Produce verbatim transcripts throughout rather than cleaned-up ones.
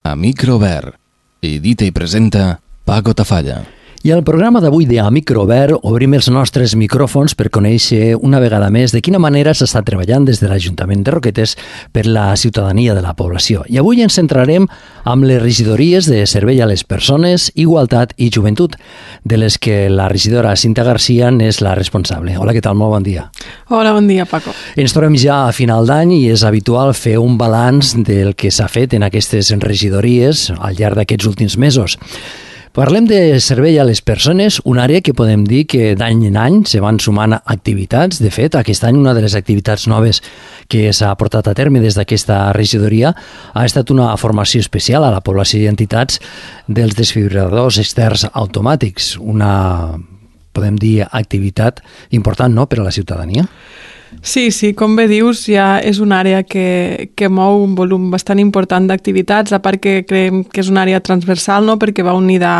A micro obert. Edita i presenta Paco Tafalla. I al programa d'avui de A Micro Obert obrim els nostres micròfons per conèixer una vegada més de quina manera s'està treballant des de l'Ajuntament de Roquetes per la ciutadania de la població. I avui ens centrarem amb les regidories de Servei a les Persones, Igualtat i Joventut, de les que la regidora Cinta Garcia n'és la responsable. Hola, què tal? Molt bon dia. Hola, bon dia, Paco. Ens trobem ja a final d'any i és habitual fer un balanç del que s'ha fet en aquestes regidories al llarg d'aquests últims mesos. Parlem de Servei a les Persones, una àrea que podem dir que d'any en any se van sumant activitats. De fet, aquest any una de les activitats noves que s'ha portat a terme des d'aquesta regidoria ha estat una formació especial a la població i entitats dels desfibril·ladors externs automàtics. Una, podem dir, activitat important, no?, per a la ciutadania. Sí, sí, com bé dius, ja és una àrea que, que mou un volum bastant important d'activitats, a part que creiem que és una àrea transversal, no?, perquè va unida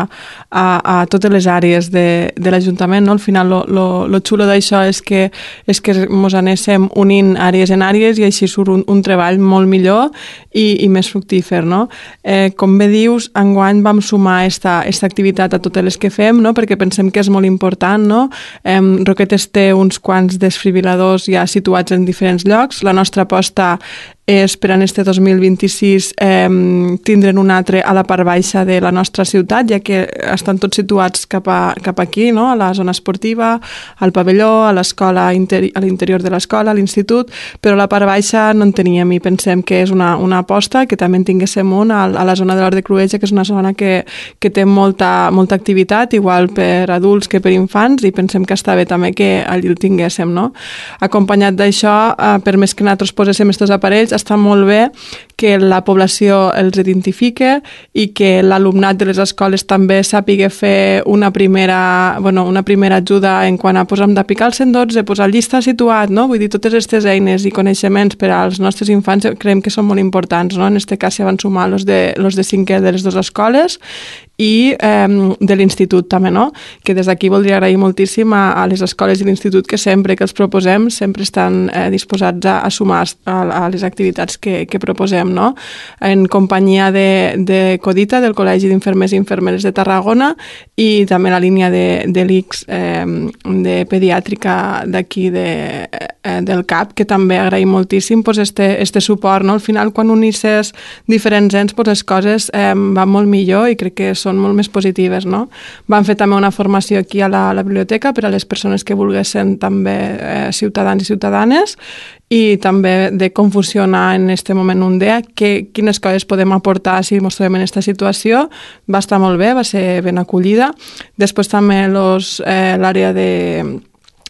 a, a totes les àrees de, de l'Ajuntament, no? Al final, lo, lo, lo xulo d'això és que, és que mos anéssim unint àrees en àrees i així surt un, un treball molt millor i, i més fructífer, no? Eh, com bé dius, enguany vam sumar esta, esta activitat a totes les que fem, no?, perquè pensem que és molt important, no? Eh, Roquetes té uns quants desfibril·ladors ja situats en diferents llocs. La nostra aposta és per en este dos mil vint-i-sis eh, tindre'n un altre a la part baixa de la nostra ciutat, ja que estan tots situats cap, a, cap aquí, no?, a la zona esportiva, al pavelló, a l'escola, a l'interior de l'escola, a l'institut, però a la part baixa no en teníem i pensem que és una, una aposta, que també en tinguéssim un a, a la zona de l'Hort de Cruïlla, que és una zona que, que té molta, molta activitat, igual per adults que per infants, i pensem que està bé també que allí el tinguéssim, no? Acompanyat d'això, eh, per més que nosaltres poséssim aquests aparells, està molt bé que la població els identifique i que l'alumnat de les escoles també sàpiga fer una primera, bueno, una primera ajuda en quant a posar de picar el cent dotze, posar el llista situat, no? Vull dir, totes aquestes eines i coneixements per als nostres infants creiem que són molt importants, no? En aquest cas s'hi van sumar els de, los de cinquè de les dues escoles i eh, de l'institut també, no? Que des d'aquí voldria agrair moltíssim a, a les escoles i l'institut que sempre que els proposem sempre estan eh, disposats a, a sumar a, a les activitats que, que proposem, no? En companyia de, de Codita, del Col·legi d'Infermers i Infermeres de Tarragona, i també la línia de, de l'I C S eh, de pediàtrica d'aquí de, eh, del C A P, que també agraïm moltíssim pues, este, este suport, no? Al final, quan unisses diferents ens, pues, les coses eh, van molt millor i crec que són molt més positives, no? Vam fer també una formació aquí a la, a la biblioteca per a les persones que volguessin també eh, ciutadans i ciutadanes, i també de com funciona en aquest moment un D E A, que, quines coses podem aportar si ens trobem en aquesta situació. Va estar molt bé, va ser ben acollida. Després també los, eh, l'àrea de...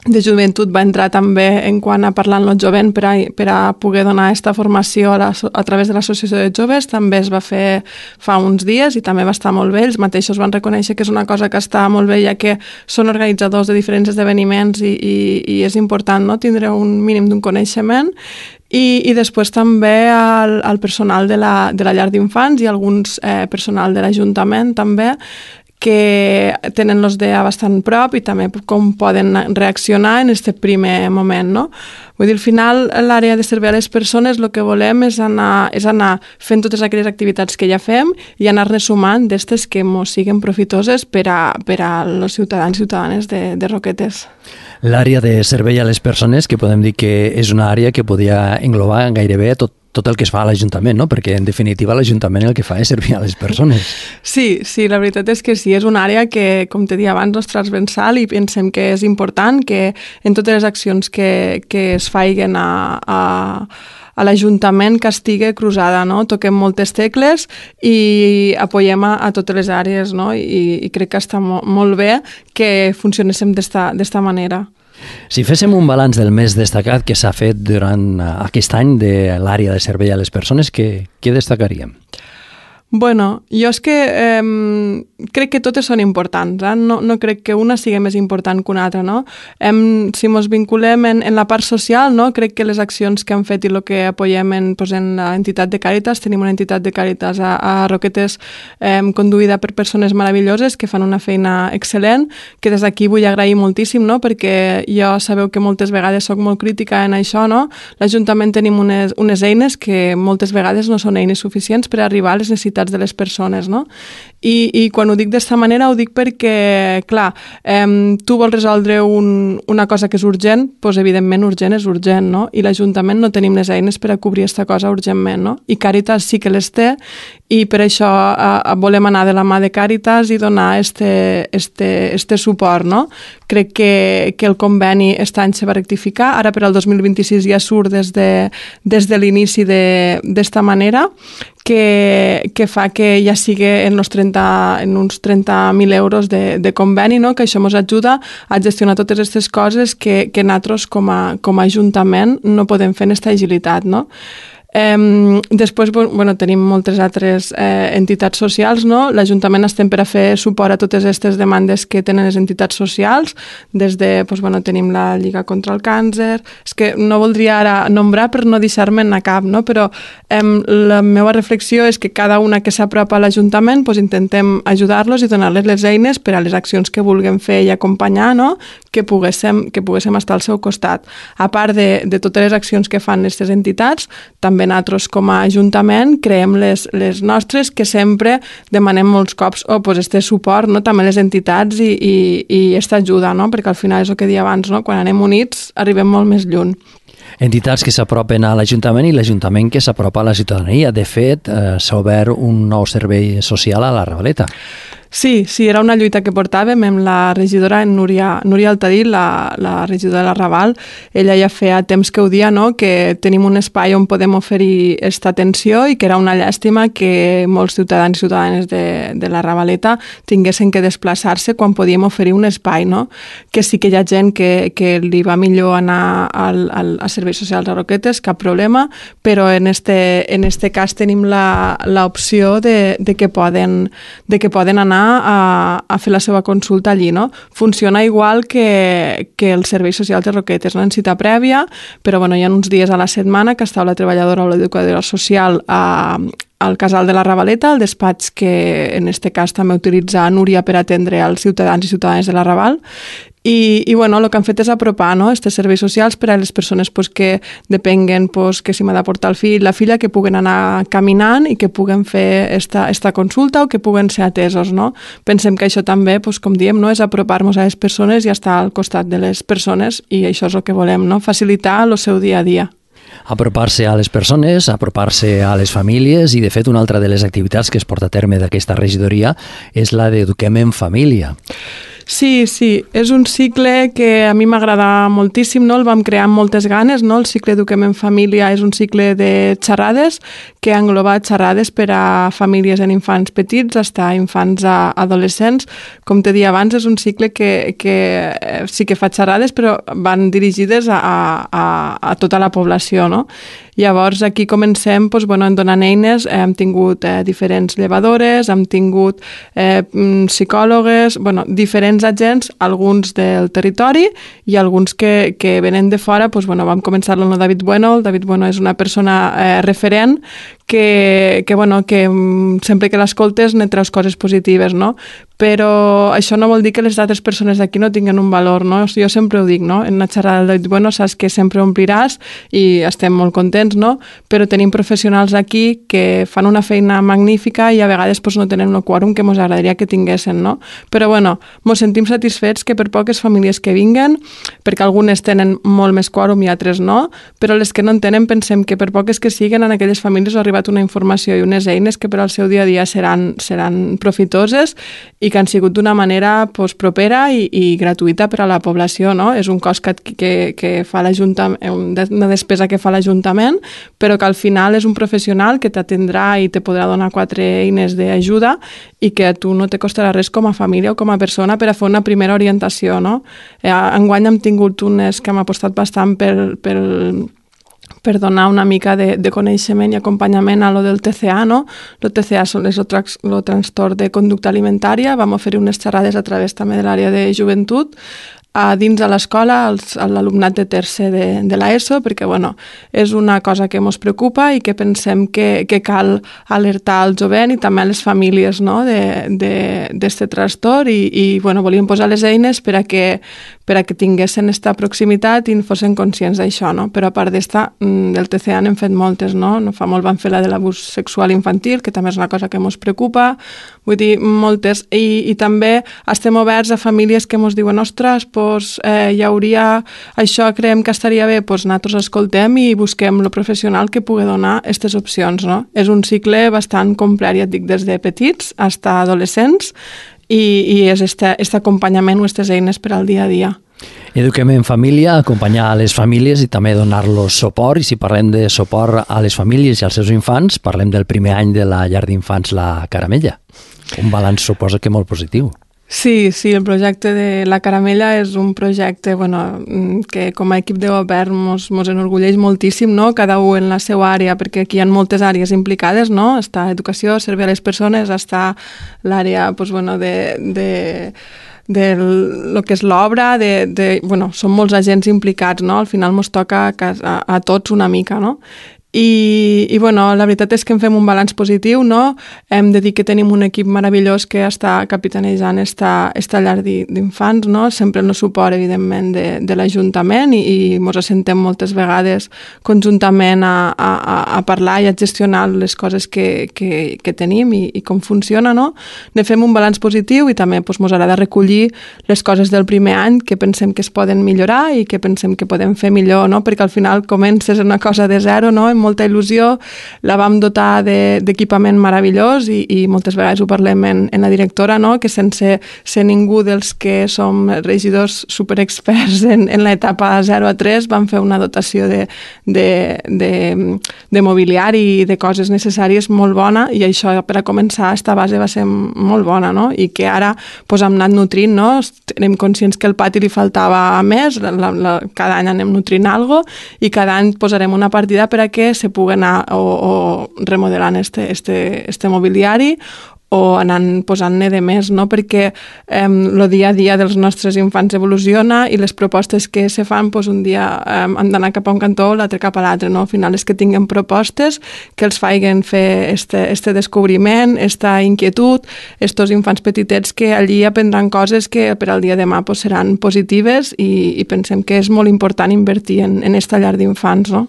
de joventut va entrar també en quant a parlar amb el jovent per a, per a poder donar aquesta formació a, la, a través de l'Associació de Joves. També es va fer fa uns dies i també va estar molt bé. Ells mateixos van reconèixer que és una cosa que està molt bé, ja que són organitzadors de diferents esdeveniments i, i, i és important, no?, tindre un mínim d'un coneixement. I, i després també al, al personal de la, de la llar d'infants i alguns eh, personal de l'Ajuntament també, que tenen els D E A bastant prop i també com poden reaccionar en aquest primer moment, no? Vull dir, al final, l'àrea de servei a les persones el que volem és anar, és anar fent totes aquelles activitats que ja fem i anar-ne sumant d'estes que ens siguin profitoses per a, per a els ciutadans i ciutadanes de, de Roquetes. L'àrea de servei a les persones, que podem dir que és una àrea que podia englobar gairebé tot tot el que es fa a l'Ajuntament, no? Perquè, en definitiva, l'Ajuntament el que fa és servir a les persones. Sí, sí, la veritat és que sí, és una àrea que, com te deia abans, no és transversal i pensem que és important que en totes les accions que, que es faiguen a, a, a l'Ajuntament que estigui cruzada, no? Toquem moltes tecles i apoyem a, a totes les àrees, no? I, i crec que està mo, molt bé que funcionéssim d'esta manera. Si féssim un balanç del més destacat que s'ha fet durant aquest any de l'àrea de servei a les persones, què, què destacaríem? Bueno, jo és que eh, crec que totes són importants, eh? no, no crec que una sigui més important que una altra, no? Em, si ens vinculem en, en la part social, no? Crec que les accions que han fet i el que apoyem en, pues, en l'entitat de Càritas, tenim una entitat de Càritas a, a Roquetes eh, conduïda per persones meravelloses que fan una feina excel·lent, que des d'aquí vull agrair moltíssim, no? Perquè jo sabeu que moltes vegades soc molt crítica en això, no? L'Ajuntament tenim unes, unes eines que moltes vegades no són eines suficients per arribar a les necessitats necessitats de les persones, no? I, i quan ho dic d'esta manera ho dic perquè, clar, eh, tu vols resoldre un, una cosa que és urgent, doncs evidentment urgent és urgent, no? I l'Ajuntament no tenim les eines per a cobrir aquesta cosa urgentment, no? I Càritas sí que les té i per això eh, volem anar de la mà de Càritas i donar este, este, este suport, no? Crec que, que el conveni aquest any se va rectificar, ara per al dos mil vint-i-sis ja surt des de, des de l'inici d'esta manera, que, que fa que ja sigui en, los trenta, en uns trenta mil euros de, de conveni, no? Que això ens ajuda a gestionar totes aquestes coses que, que nosaltres com a, com a Ajuntament no podem fer en aquesta agilitat, no? Eh, després bueno, tenim moltes altres eh, entitats socials, no? L'Ajuntament estem per a fer suport a totes aquestes demandes que tenen les entitats socials, des de, doncs, bueno, tenim la Lliga contra el Càncer, és que no voldria ara nombrar per no deixar-me'n a cap, no? Però eh, la meva reflexió és que cada una que s'apropa a l'Ajuntament doncs, intentem ajudar-los i donar-les les eines per a les accions que vulguem fer i acompanyar, no? que, poguéssim, que poguéssim estar al seu costat. A part de, de totes les accions que fan aquestes entitats, també nosaltres com a Ajuntament creem les, les nostres, que sempre demanem molts cops oh, pues este suport, no? També les entitats i, i, i aquesta ajuda, no? Perquè al final és el que deia abans, no? Quan anem units arribem molt més lluny. Entitats que s'apropen a l'Ajuntament i l'Ajuntament que s'apropa a la ciutadania. De fet, eh, s'ha obert un nou servei social a la Ravaleta. Sí, sí, era una lluita que portàvem amb la regidora Núria, Núria Altadí, la, la regidora de la Raval. Ella ja feia temps que ho dia, no? Que tenim un espai on podem oferir aquesta atenció i que era una llàstima que molts ciutadans i ciutadanes de, de la Ravaleta tinguessin que desplaçar-se quan podíem oferir un espai, no? Que sí que hi ha gent que, que li va millor anar al, al, a serveis socials a Roquetes, cap problema, però en este, en este cas tenim l'opció de, de, que poden, de que poden anar A, a fer la seva consulta allí, no? Funciona igual que, que els serveis socials de Roquetes, no? En cita prèvia, però bueno, hi ha uns dies a la setmana que està la treballadora o l'educadora social a, al casal de la Ravaleta, el despatx que en aquest cas també utilitza Núria per atendre als ciutadans i ciutadanes de la Raval. I, i bueno, el que han fet és apropar, no? Estes serveis socials per a les persones pues, que depenguen pues, que si m'ha de portar el fill, la filla, que puguen anar caminant i que puguen fer esta, esta consulta o que puguen ser atesos, no? Pensem que això també, pues, com diem, no? És apropar-nos a les persones i estar al costat de les persones i això és el que volem, no? Facilitar el seu dia a dia. Apropar-se a les persones, apropar-se a les famílies i, de fet, una altra de les activitats que es porta a terme d'aquesta regidoria és la d'Eduquem en Família. Sí, sí, és un cicle que a mi m'agrada moltíssim, no? El vam crear amb moltes ganes, no? El cicle Eduquem en Família és un cicle de xerrades que engloba xerrades per a famílies en infants petits fins a infants a adolescents. Com te deia abans, és un cicle que, que sí que fa xerrades, però van dirigides a, a, a tota la població, no? Llavors, aquí comencem doncs, bueno, donant eines. Hem tingut eh, diferents llevadores, hem tingut eh, psicòlogues, bueno, diferents agents, alguns del territori i alguns que, que venen de fora. Doncs, bueno, vam començar amb el David Bueno. El David Bueno és una persona eh, referent que, que, bueno, que sempre que l'escoltes ne treus coses positives, no? Però això no vol dir que les altres persones d'aquí no tinguen un valor, no? Jo sempre ho dic, no? En una xerrada del David Bueno saps que sempre ompliràs i estem molt contents, no? Però tenim professionals aquí que fan una feina magnífica i a vegades pues, no tenen el quòrum que ens agradaria que tinguessin, no? Però bueno, ens sentim satisfets que per poques famílies que vinguen, perquè algunes tenen molt més quòrum i altres no, però les que no en tenen pensem que per poques que siguen en aquelles famílies ha arribat una informació i unes eines que per al seu dia a dia seran, seran profitoses i que han sigut d'una manera pues, propera i, i gratuïta per a la població, no? És un cost que, que, que fa l'Ajuntament, una despesa que fa l'Ajuntament, però que al final és un professional que t'atendrà i te podrà donar quatre eines d'ajuda i que a tu no te costarà res com a família o com a persona per a fer una primera orientació, no? Enguany hem tingut unes que hem apostat bastant pel, pel per donar una mica de, de coneixement i acompanyament a lo del T C A, no? El T C A és el, trax, el trastorn de conducta alimentària. Vam oferir unes xerrades a través també de l'àrea de joventut a dins de l'escola als- a l'alumnat de tercer de, de l'ESO, perquè bueno, és una cosa que ens preocupa i que pensem que, que cal alertar al jovent i també a les famílies, no? d'aquest trastorn i, i bueno, volíem posar les eines per a que, per a que tinguessin aquesta proximitat i fossin conscients d'això. No? Però a part d'esta, del T C A n'hem fet moltes. No? no fa molt van fer la de l'abús sexual infantil, que també és una cosa que ens preocupa. Vull dir, moltes. I, i també estem oberts a famílies que ens diuen ostres, pues, eh, hi hauria això, creiem que estaria bé, pues, nosaltres escoltem i busquem el professional que pugui donar aquestes opcions. No? És un cicle bastant complet, ja et dic, des de petits fins a adolescents i, i és aquest acompanyament o aquestes eines per al dia a dia. Eduquem en família, acompanyar a les famílies i també donar-los suport. I si parlem de suport a les famílies i als seus infants, parlem del primer any de la llar d'infants La Caramella. Un balanç suposa que molt positiu. Sí, sí, el projecte de La Caramella és un projecte bueno, que com a equip de govern mos, mos enorgulleix moltíssim, no? Cada un en la seva àrea, perquè aquí hi ha moltes àrees implicades, no? Està educació, servei a les persones, està l'àrea pues, bueno, de... de de lo que és l'obra, de, de, bueno, són molts agents implicats, no? Al final ens toca a, a, a tots una mica, no? I, i bueno, la veritat és que en fem un balanç positiu, no? Hem de dir que tenim un equip meravellós que està capitanejant esta, esta llar d'infants, no? Sempre en el suport, evidentment, de, de l'Ajuntament i, i ens assentem moltes vegades conjuntament a, a, a parlar i a gestionar les coses que, que, que tenim i, i com funciona, no? Ne fem un balanç positiu i també ens doncs, agrada recollir les coses del primer any que pensem que es poden millorar i que pensem que podem fer millor, no? Perquè al final comences una cosa de zero, no? Molta il·lusió, la vam dotar d'equipament de, meravellós i, i moltes vegades ho parlem en, en la directora, no? Que sense ser ningú dels que som regidors superexperts en, en l'etapa zero a tres vam fer una dotació de, de, de, de mobiliari i de coses necessàries molt bona i això per a començar esta base va ser molt bona, no? I que ara pues, hem anat nutrint, no? Tenim conscients que al pati li faltava més, la, la, cada any anem nutrint alguna cosa i cada any posarem una partida per a que se pugui anar o, o remodelant este, este, este mobiliari o anant posant-ne de més, no? Perquè el eh, dia a dia dels nostres infants evoluciona i les propostes que se fan, pues, un dia eh, han d'anar cap a un cantó o l'altre cap a l'altre, no? Al final és que tinguem propostes que els facin fer este, este descobriment, esta inquietud, estos infants petitets que allí aprendran coses que per al dia de demà pues, seran positives i, i pensem que és molt important invertir en, en esta llar d'infants, no?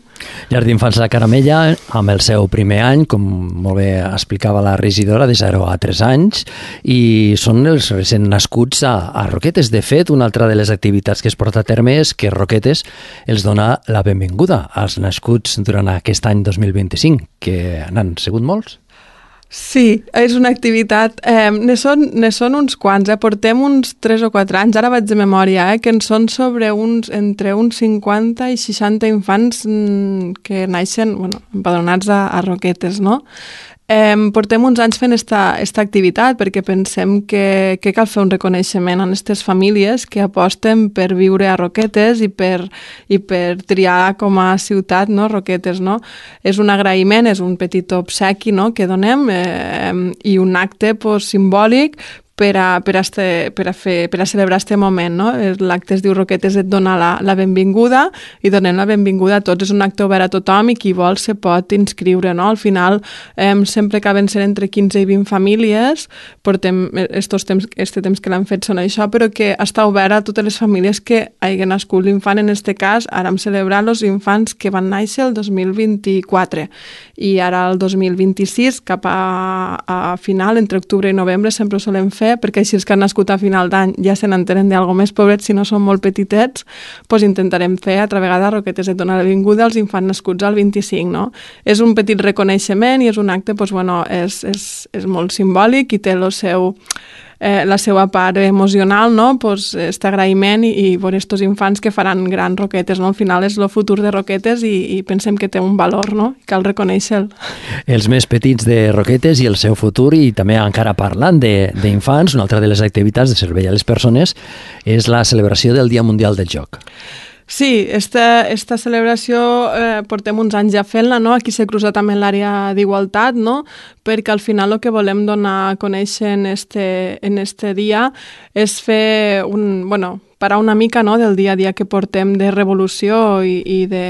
Llar d'infants La Caramella, amb el seu primer any, com molt bé explicava la regidora, de zero a tres anys, i són els recent nascuts a, a Roquetes. De fet, una altra de les activitats que es porta a terme és que Roquetes els dona la benvinguda als nascuts durant aquest any dos mil vint-i-cinc, que n'han sigut molts. Sí, és una activitat, eh, ne, són, ne són uns quants, eh? Portem uns tres o quatre anys, ara vaig de memòria, eh? Que en són sobre uns, entre uns cinquanta i seixanta infants mm, que naixen, bueno, empadronats a, a Roquetes, no? Eh, portem uns anys fent esta, esta activitat perquè pensem que, que cal fer un reconeixement a aquestes famílies que aposten per viure a Roquetes i per, i per triar com a ciutat, no? Roquetes, no? És un agraïment, és un petit obsequi, no? Que donem eh, i un acte pues, simbòlic per a, per a, este, per a, fer, per a celebrar aquest moment, no? L'acte es diu Roquetes et dona la, la benvinguda i donem la benvinguda a tots. És un acte obert a tothom i qui vol se pot inscriure, no? Al final eh, sempre acaben sent entre quinze i vint famílies, portem estos temps, este temps que l'han fet són això, però que està obert a totes les famílies que hagin nascut l'infant. En este cas, ara hem celebrat els infants que van néixer el dos mil vint-i-quatre i ara el dos mil vint-i-sis, cap a, a final, entre octubre i novembre, sempre ho solem fer perquè així els que han nascut a final d'any ja se n'entenen d'algo més pobrets, si no són molt petitets, doncs intentarem fer altra vegada Roquetes et donar la benvinguda als infants nascuts al vint-i-cinc, no? És un petit reconeixement i és un acte, doncs, bueno, és, és, és molt simbòlic i té el seu... Eh, la seva part emocional, no? Pues, este agraïment i, i veure estos infants que faran grans Roquetes, no? Al final és el futur de Roquetes i, i pensem que té un valor, no? I cal reconèixer-lo. Els més petits de Roquetes i el seu futur, i també encara parlant d'infants, una altra de les activitats de servei a les persones és la celebració del Dia Mundial del Joc. Sí, esta, esta celebració eh, portem uns anys ja fent-la, no? Aquí s'ha cruzat també l'àrea d'igualtat, no? Perquè al final el que volem donar a conèixer en este, en este dia és fer un... Bueno, parar una mica, no?, del dia a dia que portem de revolució i, i de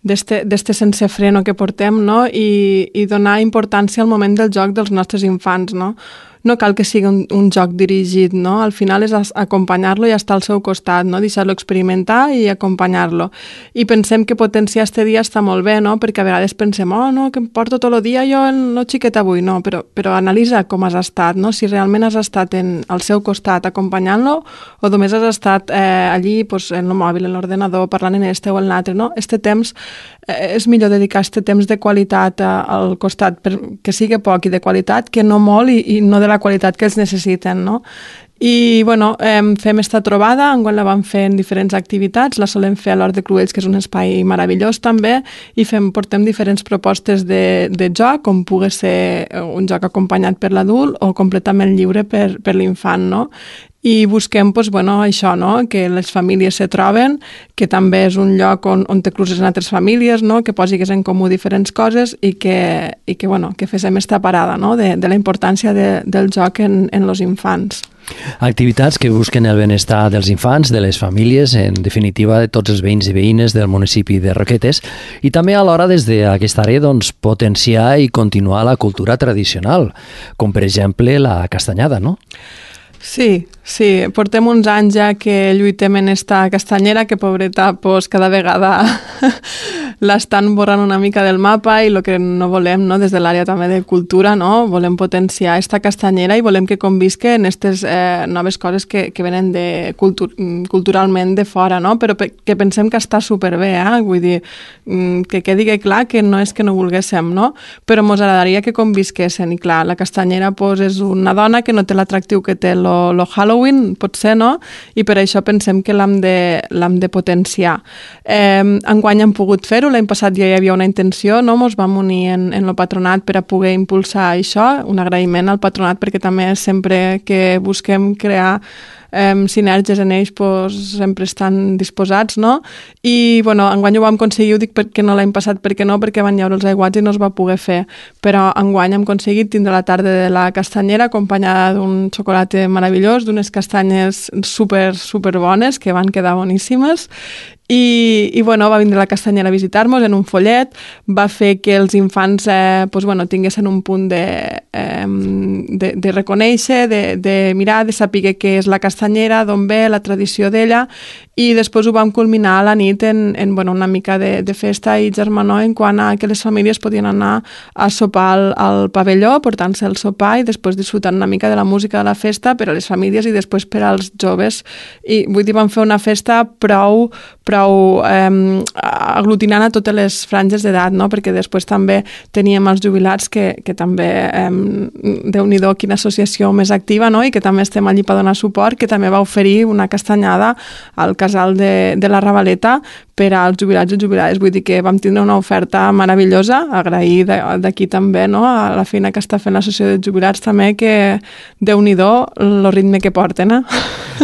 d'este sense freno que portem, no?, i, i donar importància al moment del joc dels nostres infants, no? No cal que sigui un, un joc dirigit, no? Al final és acompanyar-lo i estar al seu costat, no? Deixar-lo experimentar i acompanyar-lo. I pensem que potenciar este dia està molt bé, no? Perquè a vegades pensem, oh, no, que em porto tot el dia jo el no xiquet avui, no, però, però analitza com has estat, no? Si realment has estat en, al seu costat acompanyant-lo o només has estat eh, allí pues, en el mòbil, en l'ordenador, parlant en este o en l'altre, no? Este temps eh, és millor dedicar este temps de qualitat a, al costat, per, que sigui poc i de qualitat, que no molt i, i no de la qualitat que els necessiten, no? I, bueno, eh, fem esta trobada, enguany la vam fer en diferents activitats, la solem fer a l'Hort de Cruells, que és un espai meravellós també, i fem, portem diferents propostes de, de joc, com pugui ser un joc acompanyat per l'adult o completament lliure per, per l'infant, no? I busquem, doncs, bueno, això, no?, que les famílies se troben, que també és un lloc on, on te cruces en altres famílies, no?, que posigues en comú diferents coses i que, i que, bueno, que féssim esta parada, no?, de, de la importància de, del joc en, en els infants. Activitats que busquen el benestar dels infants, de les famílies, en definitiva de tots els veïns i veïnes del municipi de Roquetes, i també alhora des d'aquesta àrea doncs, potenciar i continuar la cultura tradicional, com per exemple la castanyada, no? Sí, sí, portem uns anys ja que lluitem en esta castanyera, que pobreta, pues, cada vegada l'estan borrant una mica del mapa i el que no volem, no, des de l'àrea també de cultura, no, volem potenciar esta castanyera i volem que convisque en aquestes eh, noves coses que, que venen de cultu culturalment de fora, no, però que pensem que està superbé, eh? Vull dir, que quedi clar que no és que no volguéssim, no, però ens agradaria que convisquessin i clar, la castanyera pues, és una dona que no té l'atractiu que té lo, lo Halloween, potser, no, i per això pensem que l'hem de, l'hem de potenciar. Eh, enguany hem pogut fer-ho, l'any passat ja hi havia una intenció, no? Ens vam unir en, en el patronat per a poder impulsar això, un agraïment al patronat perquè també sempre que busquem crear eh, sinergies en ells pues, sempre estan disposats, no? I, bueno, enguany ho vam aconseguir, ho dic perquè no l'any passat, perquè no, perquè van llaure els aiguats i no es va poder fer, però enguany hem aconseguit tindre la tarda de la castanyera acompanyada d'un xocolata meravellós, d'unes castanyes super, super bones, que van quedar boníssimes. I, i bueno, va vindre la castanyera a visitar-nos en un follet, va fer que els infants eh, pues, bueno, tinguessin un punt de, eh, de, de reconèixer, de, de mirar, de saber què és la castanyera, d'on ve, la tradició d'ella, i després ho vam culminar a la nit en, en bueno, una mica de, de festa i germanor en quant a que les famílies podien anar a sopar al, al pavelló, portant-se el sopar i després disfrutant una mica de la música de la festa per a les famílies i després per als joves. I vull dir, vam fer una festa prou prou eh, aglutinant a totes les franges d'edat, no? Perquè després també teníem els jubilats que, que també, eh, Déu-n'hi-do, quina associació més activa, no? I que també estem allí per donar suport, que també va oferir una castanyada al casal de, de la Ravaleta per als jubilats i jubilades. Vull dir que vam tindre una oferta meravellosa, agrair d'aquí també, no? A la feina que està fent l'associació de jubilats també, que Déu-n'hi-do el ritme que porten, eh?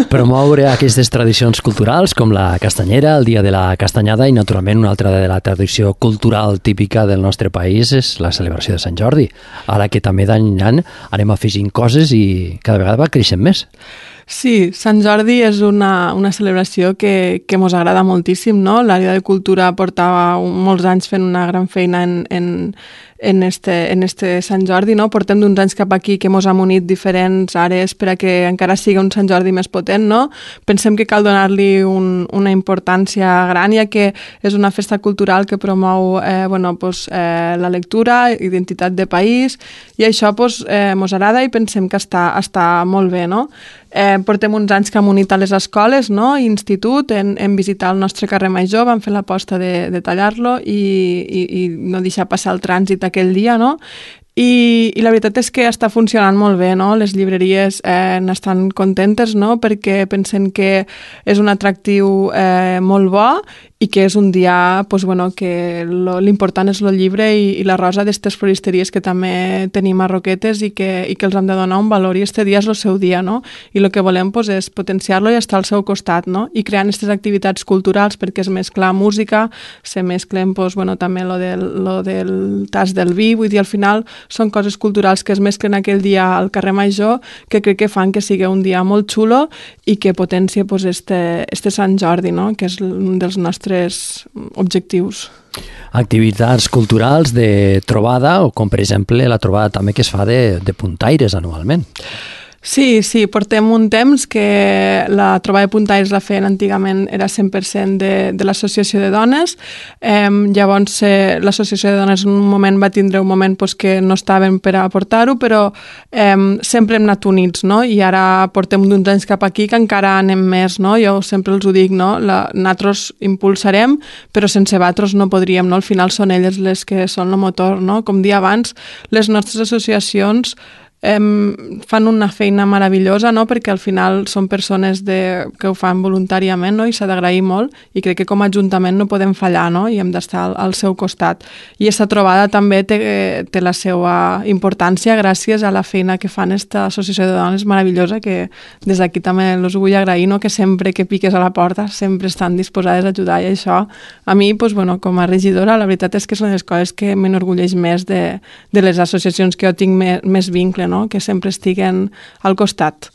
Promoure aquestes tradicions culturals com la castanyera, el dia de la castanyada i naturalment una altra de la tradició cultural típica del nostre país és la celebració de Sant Jordi. Ara que també d'any en any anem afegint coses i cada vegada va creixent més. Sí, Sant Jordi és una, una celebració que, que mos agrada moltíssim, no? L'àrea de cultura portava molts anys fent una gran feina en, en, en, este, en este Sant Jordi, no? Portem d'uns anys cap aquí que mos hem unit diferents àrees per a que encara sigui un Sant Jordi més potent, no? Pensem que cal donar-li un, una importància gran, ja que és una festa cultural que promou eh, bueno, pues, eh, la lectura, identitat de país, i això pues, eh, mos agrada i pensem que està, està molt bé, no? Eh, portem uns anys que hem unit a les escoles, no? I institut, en, en visitar el nostre carrer Major, vam fer l'aposta de, de tallar-lo i, i, i no deixar passar el trànsit aquell dia, no? I, i la veritat és que està funcionant molt bé, no? Les llibreries eh, n'estan contentes, no? Perquè pensen que és un atractiu eh, molt bo i que és un dia pues, bueno, que l'important és el llibre i, i la rosa d'aquestes floristeries que també tenim a Roquetes i que, i que els hem de donar un valor i este dia és el seu dia, no? I el que volem pues, és potenciar-lo i estar al seu costat, no? I creant aquestes activitats culturals perquè es mescla música, se mesclen pues, bueno, també lo del, lo del tas del vi, vull dir, al final són coses culturals que es mesclen aquell dia al carrer Major, que crec que fan que sigui un dia molt xulo i que potencia pues, este, este Sant Jordi, no? Que és un dels nostres objectius. Activitats culturals de trobada, o com per exemple la trobada també que es fa de, de puntaires anualment. Sí, sí, portem un temps que la trobada de puntaires la feien antigament, era cent per cent de, de l'associació de dones. Eh, llavors eh, l'associació de dones en un moment va tindre un moment pues, que no estaven per a portar-ho, però eh, sempre hem anat units, no? I ara portem d'un temps cap aquí que encara anem més, no? Jo sempre els ho dic, no? La, nosaltres impulsarem, però sense vosaltres no podríem, no? Al final són elles les que són el motor, no? Com dia abans, les nostres associacions Em, fan una feina meravellosa, no? Perquè al final són persones de, que ho fan voluntàriament, no? I s'ha d'agrair molt i crec que com a ajuntament no podem fallar, no? I hem d'estar al, al seu costat. I aquesta trobada també té, té la seva importància gràcies a la feina que fan esta associació de dones meravellosa, que des d'aquí també els vull agrair, no? Que sempre que piques a la porta sempre estan disposades a ajudar, i això a mi, pues, bueno, com a regidora, la veritat és que són les coses que m'enorgulleix més de, de les associacions que jo tinc més, més vincle, no? Que sempre estiguen al costat.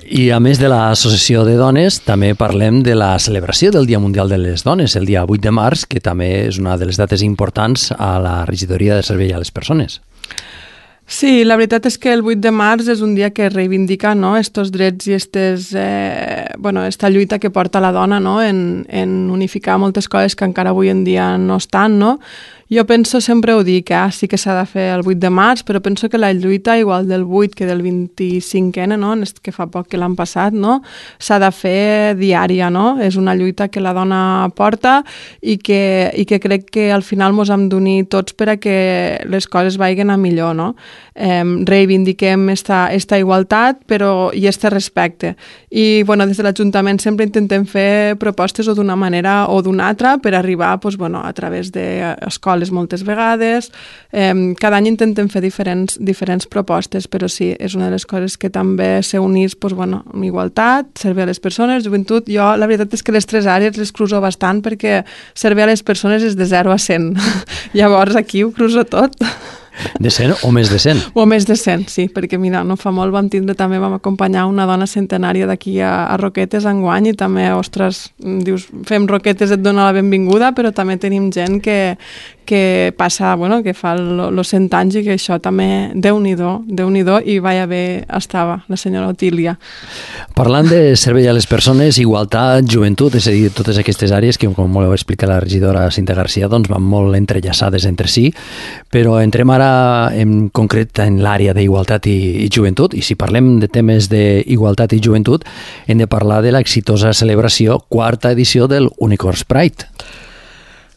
I a més de l'associació de dones, també parlem de la celebració del Dia Mundial de les Dones, el dia vuit de març, que també és una de les dates importants a la regidoria de servei a les persones. Sí, la veritat és que el vuit de març és un dia que reivindica, no?, estos drets i estes, eh, bueno, esta lluita que porta la dona, no?, en, en unificar moltes coses que encara avui en dia no estan, no? Jo penso, sempre ho dic, eh? Sí que s'ha de fer el vuit de març, però penso que la lluita, igual del vuit que del vint-i-cinc ene, no?, que fa poc que l'han passat, no?, s'ha de fer diària, no? És una lluita que la dona porta i que, i que crec que al final mos hem d'unir tots per a que les coses vagin a millor, no? Eh, reivindiquem esta, esta igualtat però, i este respecte. I bueno, des de l'Ajuntament sempre intentem fer propostes o d'una manera o d'una altra per arribar pues, bueno, a través d'escoles moltes vegades. Eh, cada any intentem fer diferents, diferents propostes, però sí, és una de les coses que també s'unís pues, bueno, amb igualtat, servir a les persones, joventut. Jo la veritat és que les tres àrees les cruzo bastant perquè servir a les persones és de zero a cent. Llavors aquí ho cruzo tot. De cent o més de cent? O més de cent, sí, perquè mira, no fa molt vam tindre, també vam acompanyar una dona centenària d'aquí a, a Roquetes enguany i també, ostres, dius, fem Roquetes, et dona la benvinguda, però també tenim gent que, que passa, bueno, que fa els cent anys i que això també, Déu-n'hi-do, Déu-n'hi-do, i vaja bé estava la senyora Otília. Parlant de servei a les persones, igualtat, joventut, és a dir, totes aquestes àrees que, com molt heu explicat la regidora Cinta Garcia, doncs van molt entrellaçades entre si, però entrem ara en concret en l'àrea d'igualtat i, i joventut, i si parlem de temes d'igualtat i joventut, hem de parlar de l'exitosa celebració, quarta edició del Unicorns Pride.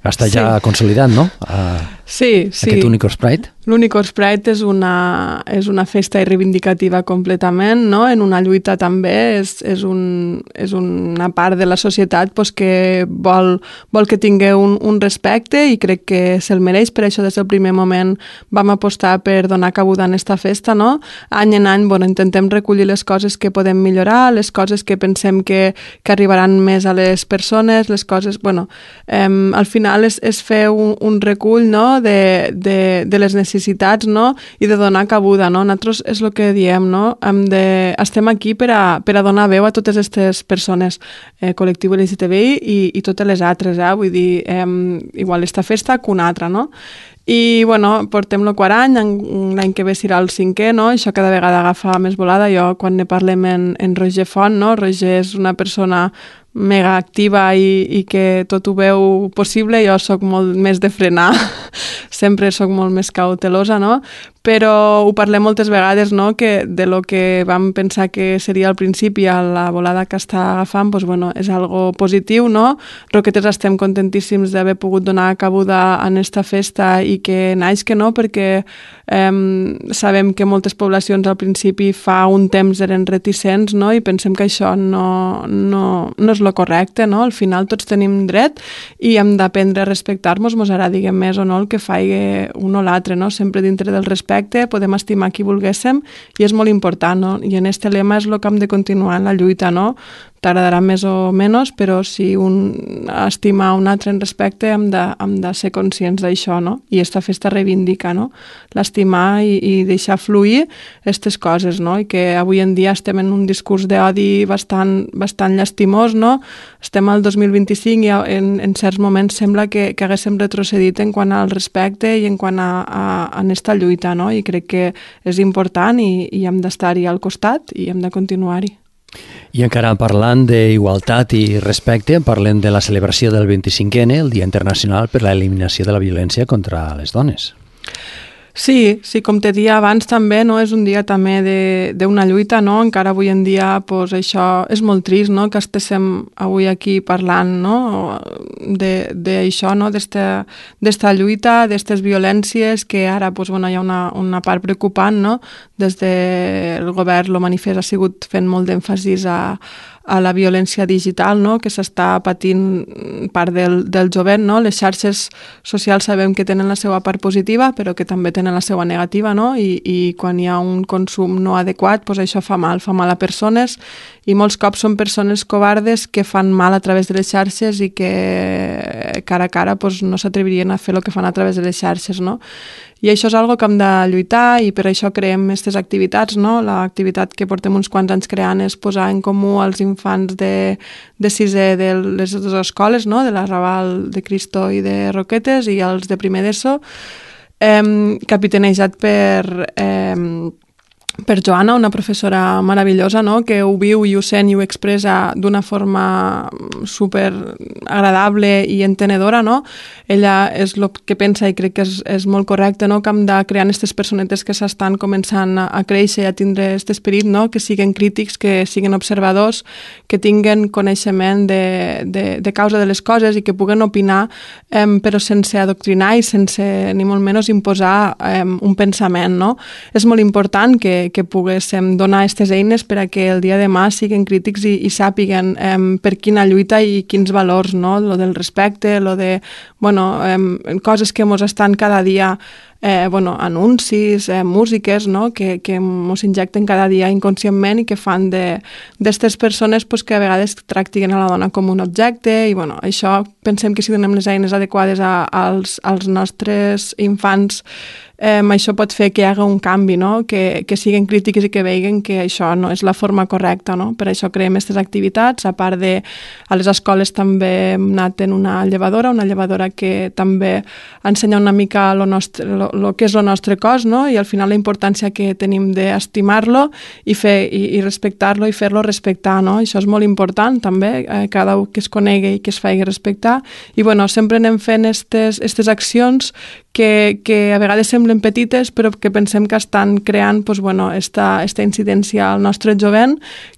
Està ja sí. consolidat, no? Uh, sí, sí. Aquest Unicorns Pride. L'Unicorns Pride és una, és una festa reivindicativa completament, no? En una lluita també, és, és, un, és una part de la societat pues, que vol, vol que tingui un, un respecte i crec que se'l mereix, per això des del primer moment vam apostar per donar cabuda en esta festa, no? Any en any bueno, intentem recollir les coses que podem millorar, les coses que pensem que, que arribaran més a les persones, les coses, bueno, eh, al final és, és fer un, un recull, no? de, de, de les necessitats necessitats, no? I de donar cabuda, no? Nosaltres és el que diem, no? Hem de, estem aquí per a, per a donar veu a totes aquestes persones, eh, col·lectiu L G T B I i, i totes les altres, eh? Vull dir, eh, igual esta festa que una altra, no? I, bueno, portem el quart any, l'any que ve serà el cinquè, no? Això cada vegada agafa més volada. Jo, quan ne parlem en, en Roger Font, no? Roger és una persona mega activa i, i que tot ho veu possible. Jo sóc molt més de frenar, sempre sóc molt més cautelosa, no? Però ho parlem moltes vegades, no? Que de lo que vam pensar que seria al principi a la volada que està agafant, doncs, bueno, és algo positiu, no? Roquetes estem contentíssims d'haver pogut donar cabuda en esta festa i que naix que no, perquè Um, sabem que moltes poblacions al principi fa un temps eren reticents, no? I pensem que això no, no, no és lo correcte, no? Al final tots tenim dret i hem d'aprendre a respectar-nos, mos agradi més o no el que faci un o l'altre, no? Sempre dintre del respecte podem estimar qui volguéssim i és molt important, no? I en este lema és el que hem de continuar en la lluita, no? T'agradarà més o menys, però si un estima un altre en respecte hem de, hem de ser conscients d'això, no? I esta festa reivindica, no? L'estimar i, i deixar fluir aquestes coses, no? I que avui en dia estem en un discurs d'odi bastant, bastant llastimós, no? Estem al dos mil vint-i-cinc i en, en certs moments sembla que, que haguéssim retrocedit en quant al respecte i en quant a, a, a aquesta lluita, no? I crec que és important i, i hem d'estar-hi al costat i hem de continuar-hi. I encara parlant d'igualtat i respecte, parlem de la celebració del vint-i-cinquè ene, el Dia Internacional per a l'Eliminació de la Violència contra les Dones. Sí, sí, com te dia abans també, no? És un dia també d'una lluita, no? Encara avui en dia pues, això és molt trist, no? Que estéssim avui aquí parlant, no? D'això, no? D'esta lluita, d'estes violències, que ara pues, bueno, hi ha una, una part preocupant, no? Des del govern, el manifest ha sigut fent molt d'èmfasis a a la violència digital, no? Que s'està patint part del, del jovent, no? Les xarxes socials sabem que tenen la seva part positiva, però que també tenen la seva negativa, no? I, i quan hi ha un consum no adequat, doncs això fa mal, fa mal a persones, i molts cops són persones covardes que fan mal a través de les xarxes i que cara a cara doncs, no s'atrevirien a fer el que fan a través de les xarxes, no? I això és algo que hem de lluitar i per això creem aquestes activitats, no? L'activitat que portem uns quants anys creant és posar en comú als infants de, de sisè de les dues escoles, no? De la Raval de Cristo i de Roquetes i els de primer d'ESO, eh, capitanejat per... Eh, per Joana, una professora meravellosa, no? Que ho viu i ho sent i ho expressa d'una forma super agradable i entenedora, no? Ella és el que pensa i crec que és, és molt correcte, no? Que hem de crear aquestes personetes que s'estan començant a, a créixer i a tindre aquest esperit, no? Que siguen crítics, que siguen observadors, que tinguen coneixement de, de, de causa de les coses i que puguen opinar, eh, però sense adoctrinar i sense ni molt menys imposar eh, un pensament, no? És molt important que que poguéssim donar aquestes eines per a que el dia de demà siguin crítics i, i sàpiguen eh, per quina lluita i quins valors, no? Lo del respecte, lo de, bueno, eh, coses que mos estan cada dia, eh, bueno, anuncis, eh, músiques, no? Que, que mos injecten cada dia inconscientment i que fan d'estes persones pues, que a vegades tractin a la dona com un objecte i, bueno, això pensem que si donem les eines adequades a, als, als nostres infants, Eh, això pot fer que hi hagi un canvi, no? Que, que siguin crítics i que vegin que això no és la forma correcta, no? Per això creem aquestes activitats, a part de a les escoles també hem anat en una llevadora, una llevadora que també ensenya una mica lo nostre, lo, lo que és el nostre cos, no? I al final la importància que tenim d'estimar-lo i, fer, i, i respectar-lo i fer-lo respectar, no? Això és molt important també, eh, cada un que es conegui i que es faci respectar. I bueno, sempre anem fent aquestes accions que, que a vegades semblen petites però que pensem que estan creant pues, bueno, esta, esta incidència al nostre jovent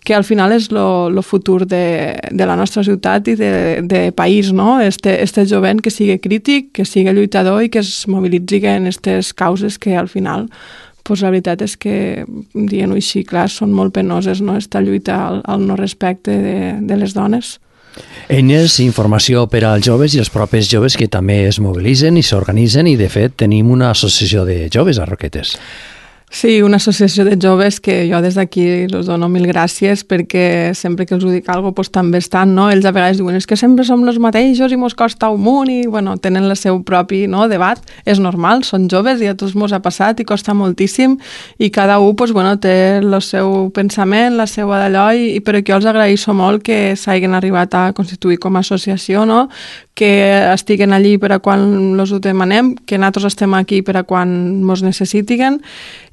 que al final és lo, lo futur de, de la nostra ciutat i de, de país, no? Este, este jovent que sigui crític, que sigui lluitador i que es mobilitzi en aquestes causes que al final pues, la veritat és que, dient-ho així, clar, són molt penoses, no? Esta lluita al, al no respecte de, de les dones. Eines i informació per als joves i els propis joves que també es mobilitzen i s'organitzen i, de fet, tenim una associació de joves a Roquetes. Sí, una associació de joves que jo des d'aquí els dono mil gràcies perquè sempre que els ho dic alguna cosa pues, també estan, no? Ells a vegades diuen és que sempre som els mateixos i mos costa un munt i bueno, tenen el seu propi no, debat, és normal, són joves i a tots mos ha passat i costa moltíssim i cada un pues, bueno, té el seu pensament, la seva d'allò i, i però que jo els agraeixo molt que s'hagin arribat a constituir com a associació, no? Que estiguen allí per a quan els ho demanem, que nosaltres estem aquí per a quan mos necessitiguen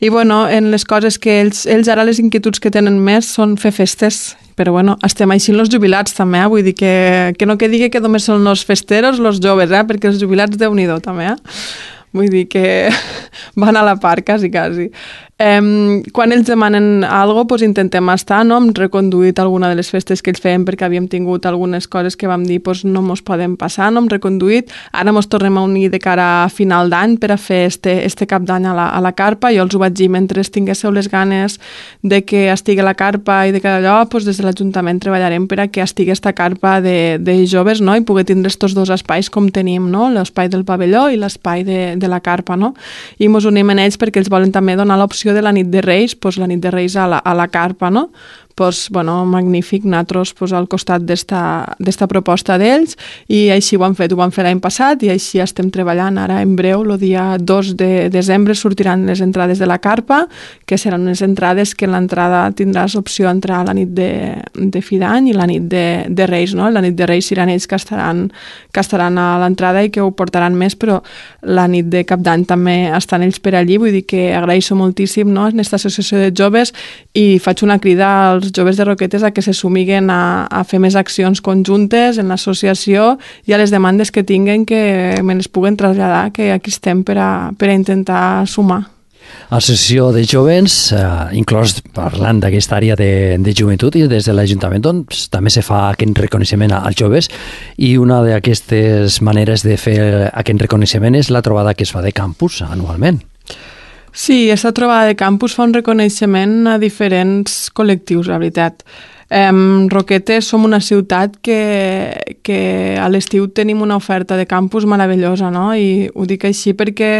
i bueno, en les coses que ells, ells ara les inquietuds que tenen més són fer festes, però bueno, estem així els jubilats també, eh? Vull dir que, que no que digui que només són els festeros, els joves, eh? Perquè els jubilats déu-n'hi-do també, eh? Vull dir que van a la part, quasi, quasi. Eh, quan ells demanen alguna cosa, doncs intentem estar, no? Hem reconduït alguna de les festes que ells feien perquè havíem tingut algunes coses que vam dir doncs no mos poden passar, no hem reconduït. Ara mos tornem a unir de cara a final d'any per a fer este, este cap d'any a, la, a la carpa. Jo els ho vaig dir, mentre tinguéssiu les ganes de que estigui la carpa i de cada allò, doncs des de l'Ajuntament treballarem per a que estigui esta carpa de, de joves, no? I poder tindre estos dos espais com tenim, no? L'espai del pavelló i l'espai de, de la carpa, no? I mos unim en ells perquè ells volen també donar l'opció de la nit de Reis, doncs la nit de Reis a la, a la carpa, no? Pues, bueno, magnífic, nosaltres pues, al costat d'esta proposta d'ells, i així ho han fet, ho van fer l'any passat i així estem treballant ara en breu. El dia dos de desembre sortiran les entrades de la carpa, que seran unes entrades que en l'entrada tindràs opció a entrar a la nit de, de fi d'any i la nit de, de Reis, no? La nit de Reis seran ells que estaran, que estaran a l'entrada i que ho portaran més, però la nit de cap d'any també estan ells per allí, vull dir que agraeixo moltíssim, no?, en aquesta associació de joves, i faig una crida als joves de Roquetes a que se sumiguen a, a fer més accions conjuntes en l'associació i a les demandes que tinguen que me les puguen traslladar, que aquí estem per a, per a intentar sumar. Associació de Jovens, eh, inclòs parlant d'aquesta àrea de, de joventut, i des de l'Ajuntament doncs, també se fa aquest reconeixement als joves, i una d'aquestes maneres de fer aquest reconeixement és la trobada que es fa de campus anualment. Sí, aquesta trobada de campus fa un reconeixement a diferents col·lectius, la veritat. Eh, Roquetes som una ciutat que, que a l'estiu tenim una oferta de campus meravellosa, no? I ho dic així perquè,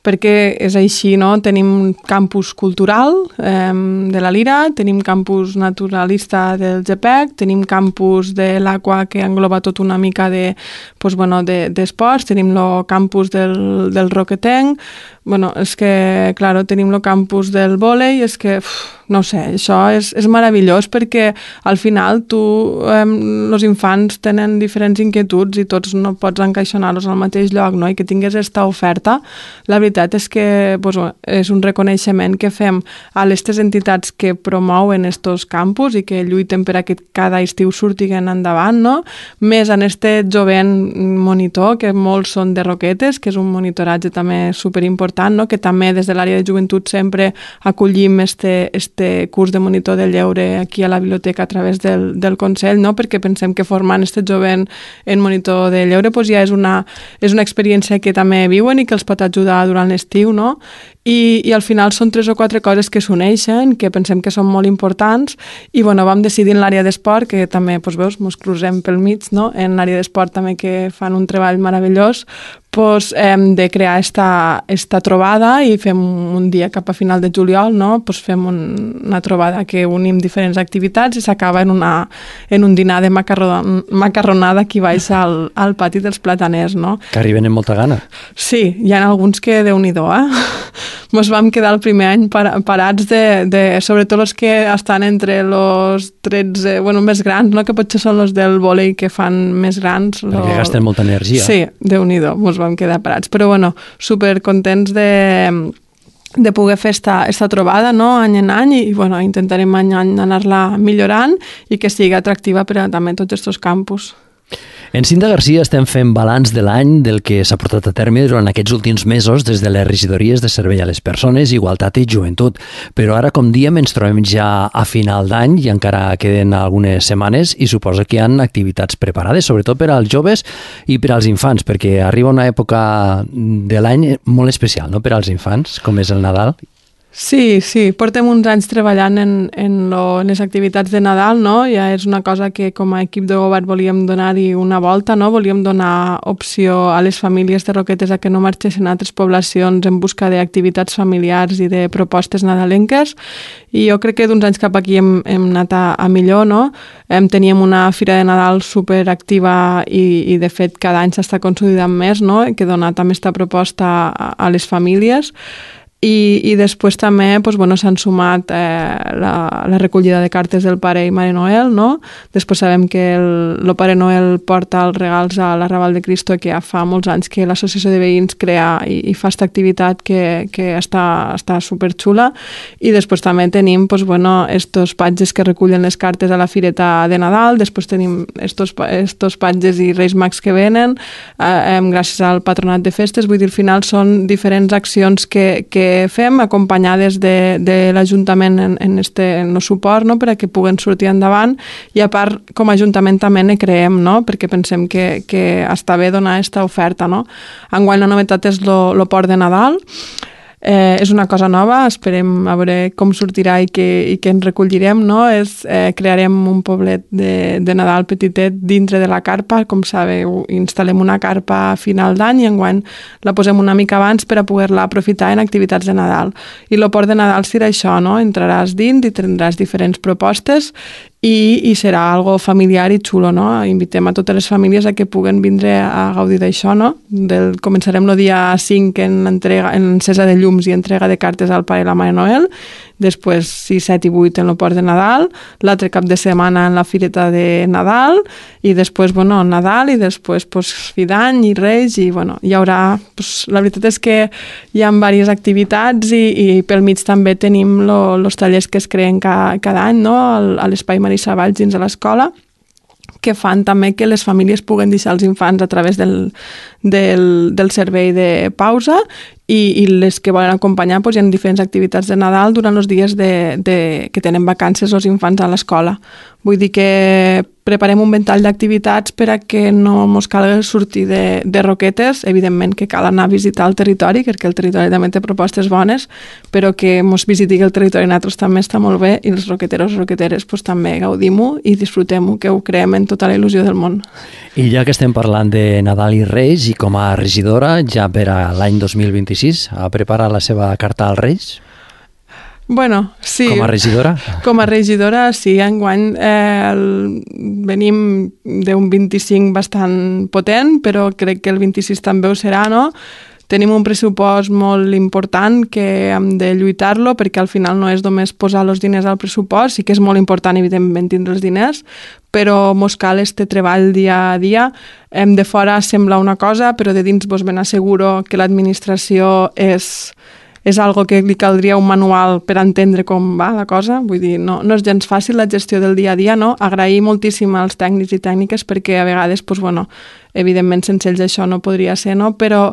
perquè és així, no? Tenim campus cultural eh, de la Lira, tenim campus naturalista del G P E C, tenim campus de l'Aqua que engloba tot una mica de, pues, bueno, de, d'esports, tenim el campus del, del Roquetenc, bueno, és que, claro, tenim el campus del vòlei, és que, uf, no sé, això és, és meravellós perquè al final tu, eh, els infants tenen diferents inquietuds i tots no pots encaixonar-los al mateix lloc, no? I que tingués aquesta oferta, la veritat és que pues, és un reconeixement que fem a aquestes entitats que promouen estos campus i que lluiten per a que cada estiu surtiguen endavant, no? Més en este jovent monitor, que molts són de Roquetes, que és un monitoratge també superimportant, no? Que també des de l'àrea de joventut sempre acollim este, este curs de monitor de lleure aquí a la biblioteca a través del, del Consell, no? Perquè pensem que formant este jovent en monitor de lleure pues ja és una, és una experiència que també viuen i que els pot ajudar durant l'estiu, no? I, i al final són tres o quatre coses que s'uneixen, que pensem que són molt importants, i bueno, vam decidir en l'àrea d'esport, que també, doncs veus, mos cruzem pel mig, no? En l'àrea d'esport també que fan un treball meravellós, pues, hem de crear esta, esta trobada i fem un dia cap a final de juliol, no? Pues fem un, una trobada que unim diferents activitats i s'acaba en, una, en un dinar de macarron, macarronada aquí baix al, al pati dels Plataners, no? Que arriben amb molta gana. Sí, hi ha alguns que déu-n'hi-do, eh? Mos vam quedar el primer any par parats de, de, sobretot els que estan entre els tretze, bueno, més grans, no? Que potser són els del vòlei que fan més grans. Perquè lo... gasten molta energia. Sí, déu-n'hi-do, mos vam quedar parats. Però bueno, supercontents de, de poder fer esta, esta trobada, no? Any en any, i bueno, intentarem any en any anar-la millorant i que sigui atractiva per a també tots aquests campus. En Cinta Garcia estem fent balanç de l'any del que s'ha portat a terme durant aquests últims mesos des de les regidories de servei a les persones, igualtat i joventut. Però ara, com diem, ens trobem ja a final d'any i encara queden algunes setmanes i suposo que hi ha activitats preparades, sobretot per als joves i per als infants, perquè arriba una època de l'any molt especial, no?, per als infants, com és el Nadal. Sí, sí, portem uns anys treballant en, en, lo, en les activitats de Nadal, no? Ja és una cosa que com a equip de govern volíem donar-hi una volta, no? Volíem donar opció a les famílies de Roquetes a que no marxessin a altres poblacions en busca d'activitats familiars i de propostes nadalenques, i jo crec que d'uns anys cap aquí hem, hem anat a, a millor, no? Em teníem una fira de Nadal superactiva i, i de fet cada any s'està consolidant més, no? Que dona també aquesta proposta a, a les famílies. I, i després també doncs, bueno, s'han sumat eh, la, la recollida de cartes del Pare i Mare Noel, no? Després sabem que el, el Pare Noel porta els regals a l'Arrabal de Cristo, que ja fa molts anys que l'associació de veïns crea i, i fa aquesta activitat que, que està, està superxula. I després també tenim doncs, bueno, estos patges que recullen les cartes a la fireta de Nadal, després tenim estos, estos patges i Reis Mags que venen, eh, gràcies al Patronat de Festes. Vull dir, al final són diferents accions que, que que fem, acompanyades de, de l'Ajuntament en, en este en el suport, no?, per a que puguen sortir endavant, i a part, com a Ajuntament també ne creem, no?, perquè pensem que, que està bé donar aquesta oferta, no? Enguany la novetat és el port de Nadal. Eh, és una cosa nova, esperem a veure com sortirà i què, i què ens recollirem, no? És, eh, crearem un poblet de, de Nadal petitet dintre de la carpa, com sabeu, instal·lem una carpa a final d'any i enguany la posem una mica abans per a poder-la aprofitar en activitats de Nadal. I el port de Nadal serà això, no? Entraràs dins i tindràs diferents propostes i, i serà algo familiar i xulo, no? Invitem a totes les famílies a que puguen vindre a gaudir d'això, no? Del, començarem el dia cinc en, entrega, en encesa de llums i entrega de cartes al Pare i la Mare Noel, després sis, set i vuit en el port de Nadal, l'altre cap de setmana en la fireta de Nadal, i després, bueno, Nadal, i després, pues, fi d'any i Reis, i, bueno, hi haurà, pues, la veritat és que hi ha diverses activitats i, i pel mig també tenim els tallers que es creen ca, cada any, no?, a l'Espai Marisa Valls dins de l'escola, que fan també que les famílies puguen deixar els infants a través del, del, del servei de pausa i, i les que volen acompanyar, doncs, hi ha diferents activitats de Nadal durant els dies de, de, que tenen vacances els infants a l'escola. Vull dir que preparem un ventall d'activitats per a que no ens calgui sortir de, de Roquetes. Evidentment que cal anar a visitar el territori, perquè el territori també té propostes bones, però que ens visiti el territori nosaltres també està molt bé, i els roqueteros i roqueteres pues, també gaudim-ho i disfrutem-ho, que ho creem en tota la il·lusió del món. I ja que estem parlant de Nadal i Reis, i com a regidora, ja per a l'any dos mil vint-i-sis, ha preparat la seva carta als Reis? Bueno, sí. Com a regidora? Com a regidora, sí. Enguany eh, el, venim d'un vint-i-cinc bastant potent, però crec que el vint-i-sis també ho serà, no? Tenim un pressupost molt important que hem de lluitar-lo, perquè al final no és només posar els diners al pressupost, sí que és molt important, evidentment, tindre els diners, però mos cal este treball dia a dia. Hem de fora sembla una cosa, però de dins vos ben asseguro que l'administració és... és algo que li caldria un manual per entendre com va la cosa, vull dir, no, no és gens fàcil la gestió del dia a dia, no? Agrair moltíssim als tècnics i tècniques perquè a vegades, doncs, bueno, evidentment sense ells això no podria ser, no? Però,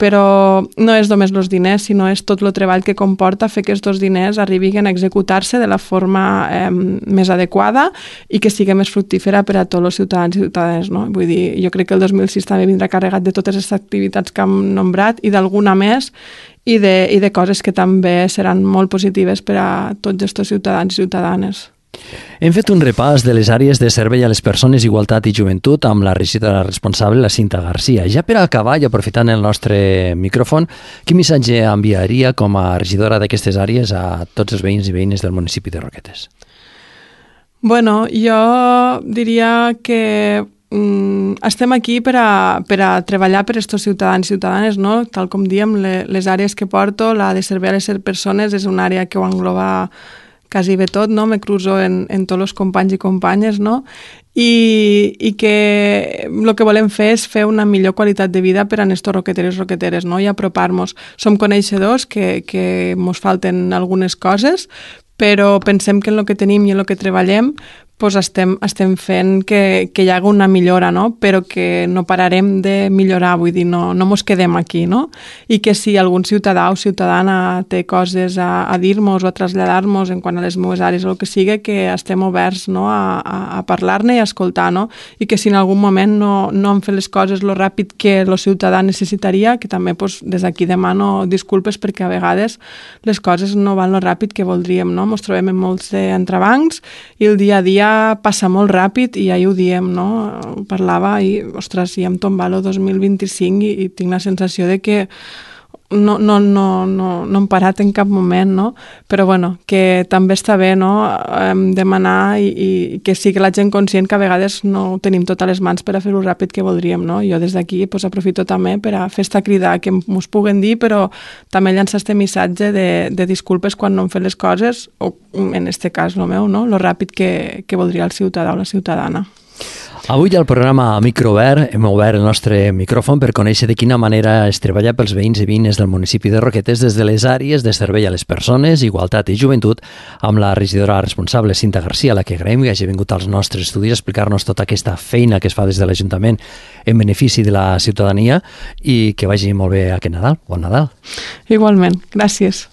però no és només els diners, sinó és tot el treball que comporta fer que aquests diners arribin a executar-se de la forma eh, més adequada i que sigui més fructífera per a tots els ciutadans i ciutadanes, no? Vull dir, jo crec que el dos mil sis també vindrà carregat de totes les activitats que hem nombrat i d'alguna més, i de, i de coses que també seran molt positives per a tots aquests ciutadans i ciutadanes. Hem fet un repàs de les àrees de servei a les persones, igualtat i joventut amb la regidora responsable, la Cinta Garcia. Ja per acabar, i aprofitant el nostre micròfon, quin missatge enviaria com a regidora d'aquestes àrees a tots els veïns i veïnes del municipi de Roquetes? Bueno, jo diria que mm, estem aquí per a, per a treballar per aquests ciutadans i ciutadanes, no? Tal com diem, le, les àrees que porto, la de servei a les persones és una àrea que ho engloba quasi bé tot, no? Me cruzo en, en tots els companys i companyes, no? I, i que el que volem fer és fer una millor qualitat de vida per a aquests roqueteros i roqueteres, no? I apropar-nos. Som coneixedors que, que mos falten algunes coses, però pensem que en el que tenim i en el que treballem pues estem, estem fent que, que hi hagi una millora, no? Però que no pararem de millorar, vull dir, no, no mos quedem aquí, no? I que si algun ciutadà o ciutadana té coses a, a dir-nos o a traslladar-nos en quant a les meves àrees o el que sigui, que estem oberts, no? a, a, a parlar-ne i a escoltar, no? I que si en algun moment no, no han fet les coses lo ràpid que el ciutadà necessitaria, que també pues, des d'aquí demano disculpes perquè a vegades les coses no van lo ràpid que voldríem, no? Mos trobem en molts entrebancs i el dia a dia passa molt ràpid i ja ho diem, no? Parlava i, ostres, ja em tomba el dos mil vint-i-cinc i, i tinc la sensació de que no, no, no, no, no hem parat en cap moment, no? Però bueno, que també està bé, no? Demanar i, i que sigui la gent conscient que a vegades no tenim totes les mans per a fer-ho ràpid que voldríem, no? Jo des d'aquí pues, aprofito també per a fer esta crida que mos puguen dir, però també llançar este missatge de, de disculpes quan no hem fet les coses, o en este cas el meu, no? Lo ràpid que, que voldria el ciutadà o la ciutadana. Avui al programa Microobert hem obert el nostre micròfon per conèixer de quina manera es treballa pels veïns i veïnes del municipi de Roquetes des de les àrees de servei a les persones, igualtat i joventut, amb la regidora responsable Cinta Garcia, a la que agraïm que hagi vingut als nostres estudis a explicar-nos tota aquesta feina que es fa des de l'Ajuntament en benefici de la ciutadania i que vagi molt bé aquest Nadal. Bon Nadal. Igualment, gràcies.